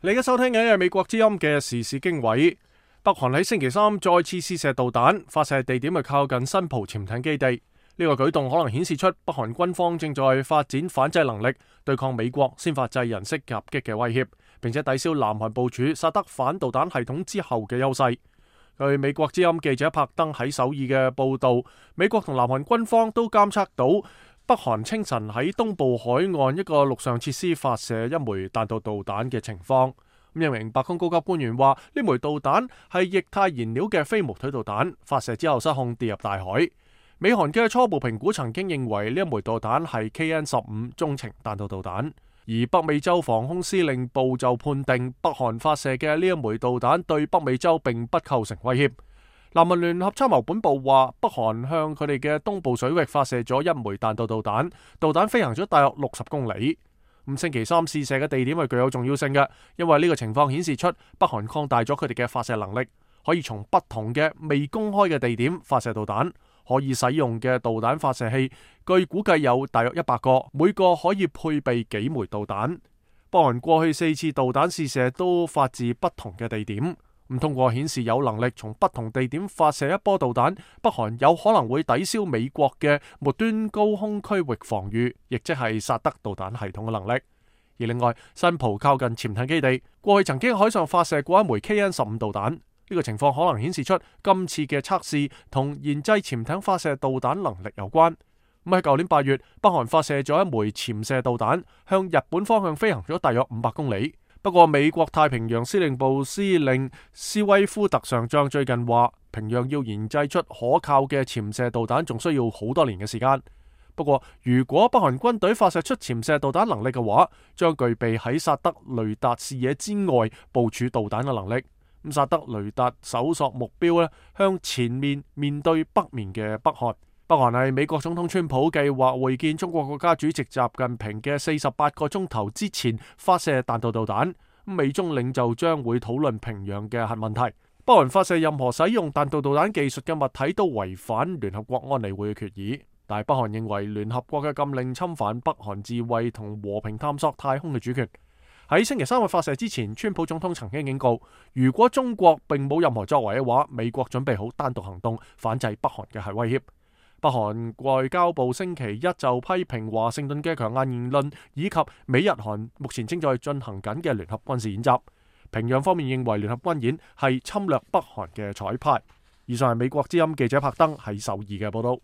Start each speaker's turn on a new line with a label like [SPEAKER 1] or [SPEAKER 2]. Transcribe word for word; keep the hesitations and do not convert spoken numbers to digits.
[SPEAKER 1] 你而家收聽緊係美國之音嘅時事經緯。北韓喺星期三再次試射導彈，發射地點係靠近新浦潛艇基地。呢個舉動可能顯示出北韓軍方正在發展反制能力，對抗美國先發制人式夾擊嘅威脅，並且抵消南韓部署薩德反導彈系統之後嘅優勢。據美國之音記者柏登喺首爾嘅報道，美國同南韓軍方都監測到北韓清晨喺東部海岸一個陸上設施發射一枚彈道導彈嘅情況。咁一名白宮高級官員話，呢枚導彈係液態燃料嘅飛毛腿導彈，發射之後失控跌入大海。美韓嘅初步評估曾經認為呢一枚導彈係 K N 十五 中程彈道導彈，而北美洲防空司令部就判定北韓發射嘅呢一枚導彈對北美洲並不構成威脅。南韓聯合參謀本部話，北韓向佢哋嘅東部水域發射咗一枚彈道導彈，導彈飛行咗大約六十公里。咁星期三試射嘅地點係具有重要性嘅，因為呢個情況顯示出北韓擴大咗佢哋嘅發射能力，可以從不同嘅未公開嘅地點發射導彈。可以使用嘅導彈發射器，據估計有大約一百個，每個可以配備幾枚導彈。北韓過去四次導彈試射都發自不同嘅地點。咁通過顯示有能力從不同地點發射一波導彈，北韓有可能會抵消美國嘅末端高空區域防禦，亦即係薩德導彈系統嘅能力。而另外，新浦靠近潛艇基地，過去曾經喺海上發射過一枚 K N 十五導彈。呢個情況可能顯示出今次嘅測試同研製潛艇發射導彈能力有關。咁喺舊年八月，北韓發射咗一枚潛射導彈，向日本方向飛行咗大約五百公里。不過，美國太平洋司令部司令斯威夫特上將最近話，平壤要研製出可靠嘅潛射導彈，仲需要好多年嘅時間。不過，如果北韓軍隊發射出潛射導彈能力嘅話，將具備喺薩德雷達視野之外部署導彈嘅能力。咁薩德雷達搜索目標咧，向前面面對北面嘅北韓。北韓係美國總統川普計劃會見中國國家主席習近平嘅四十八個鐘頭之前發射彈道導彈。美中領袖將會討論平壤嘅核問題。北韓發射任何使用彈道導彈技術嘅物體都違反聯合國安理會嘅決議。但係北韓認為聯合國嘅禁令侵犯北韓自衛同和平探索太空嘅主權。喺星期三嘅發射之前，川普總統曾經警告，如果中國並冇任何作為嘅話，美國準備好單獨行動反制北韓嘅核威脅。北韓外交部星期一就批評華盛頓嘅強硬言論，以及美日韓目前正在進行緊嘅聯合軍事演習。平壤方面認為聯合軍演係侵略北韓嘅彩排。以上係美國之音記者柏登喺首爾嘅報道。